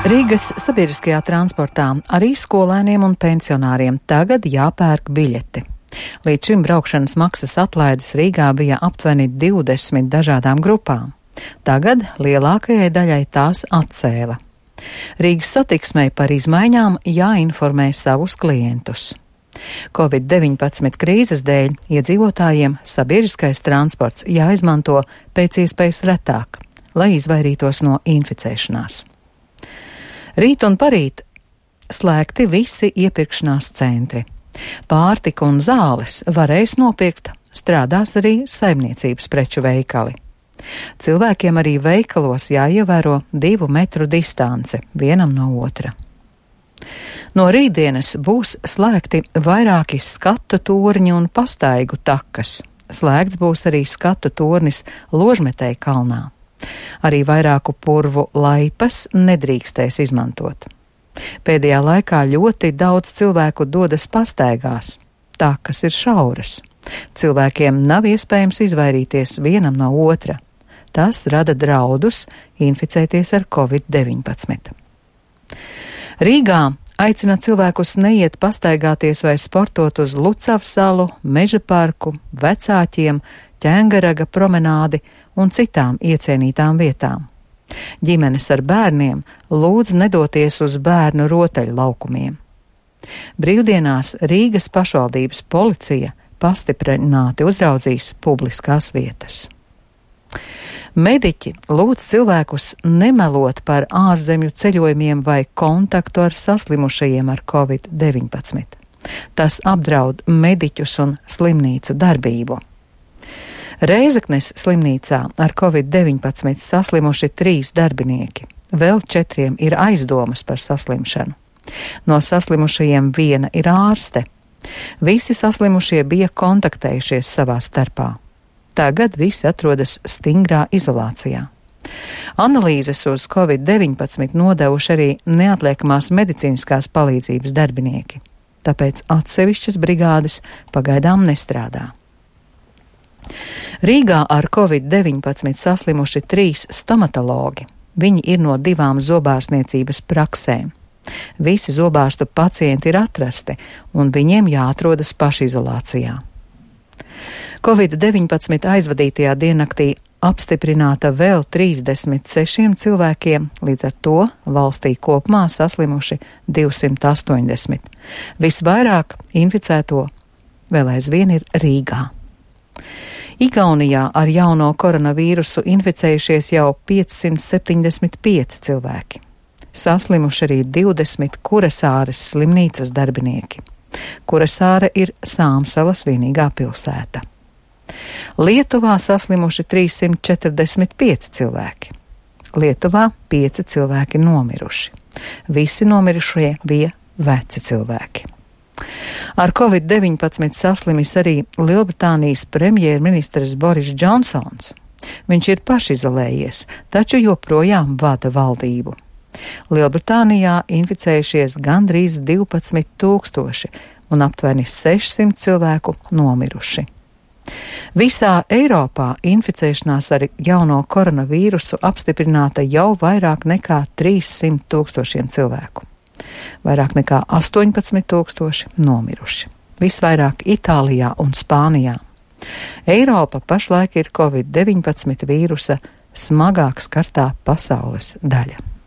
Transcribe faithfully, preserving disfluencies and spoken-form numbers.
Rīgas sabiedriskajā transportā arī skolēniem un pensionāriem tagad jāpērk biļeti. Līdz šim braukšanas maksas atlaides Rīgā bija aptuveni divdesmit dažādām grupām. Tagad lielākajai daļai tās atcēla. Rīgas satiksmei par izmaiņām jāinformē savus klientus. covid deviņpadsmit krīzes dēļ iedzīvotājiem sabiedriskais transports jāizmanto pēc iespējas retāk, lai izvairītos no inficēšanās. Rīt un parīt slēgti visi iepirkšanās centri. Pārtika un zāles varēs nopirkt, strādās arī saimniecības preču veikali. Cilvēkiem arī veikalos jāievēro divu metru distance vienam no otra. No rītdienas būs slēgti vairāki skatu torņi un pastaigu takas. Slēgts būs arī skatu tornis Ložmetēja kalnā. Arī vairāku purvu laipas nedrīkstēs izmantot. Pēdējā laikā ļoti daudz cilvēku dodas pastaigās. Takas ir šauras. Cilvēkiem nav iespējams izvairīties vienam no otra. Tas rada draudus inficēties ar covid deviņpadsmit. Rīgā aicina cilvēkus neiet pastaigāties vai sportot uz Lucavas salu, Meža parku, Vecāķiem, Ķēngaraga promenādi un citām iecienītām vietām. Ģimenes ar bērniem lūdz nedoties uz bērnu rotaļlaukumiem. Brīvdienās Rīgas pašvaldības policija pastiprināti uzraudzīs publiskās vietas. Mediķi lūdz cilvēkus nemelot par ārzemju ceļojumiem vai kontaktu ar saslimušajiem ar covid deviņpadsmit. Tas apdraud mediķus un slimnīcu darbību. Rēzeknes slimnīcā ar covid deviņpadsmit saslimuši trīs darbinieki. Vēl četriem ir aizdomas par saslimšanu. No saslimušajiem viena ir ārste. Visi saslimušie bija kontaktējušies savā starpā. Tagad visi atrodas stingrā izolācijā. Analīzes uz covid deviņpadsmit nodevuši arī neatliekamās medicīniskās palīdzības darbinieki. Tāpēc atsevišķas brigādes pagaidām nestrādā. Rīgā ar covid deviņpadsmit saslimuši trīs stomatologi. Viņi ir no divām zobārstniecības praksēm. Visi zobārstu pacienti ir atrasti, un viņiem jāatrodas pašizolācijā. covid deviņpadsmit aizvadītajā diennaktī apstiprināta vēl trīsdesmit sešiem cilvēkiem, līdz ar to valstī kopumā saslimuši divsimt astoņdesmit. Visvairāk inficēto vēl aizvien ir Rīgā. Igaunijā ar jauno koronavīrusu inficējušies jau piecsimt septiņdesmit pieci cilvēki. Saslimuši arī divdesmit Kurasāres slimnīcas darbinieki. Kurasāre ir Sāmsalas vienīgā pilsēta. Lietuvā saslimuši trīssimt četrdesmit pieci cilvēki. Lietuvā pieci cilvēki nomiruši. Visi nomirušie bija veci cilvēki. Ar covid deviņpadsmit saslimis arī Lielbritānijas premjerministrs Boris Džonsons. Viņš ir pašizolējies, taču joprojām vada valdību. Lielbritānijā inficējušies gandrīz divpadsmit tūkstoši un aptuveni sešsimt cilvēku nomiruši. Visā Eiropā inficēšanās ar jauno koronavīrusu apstiprināta jau vairāk nekā trīssimt tūkstošiem cilvēku. Vairāk nekā astoņpadsmit tūkstoši nomiruši. Visvairāk Itālijā un Spānijā. Eiropa pašlaik ir covid deviņpadsmit vīrusa smagāk skartā pasaules daļa.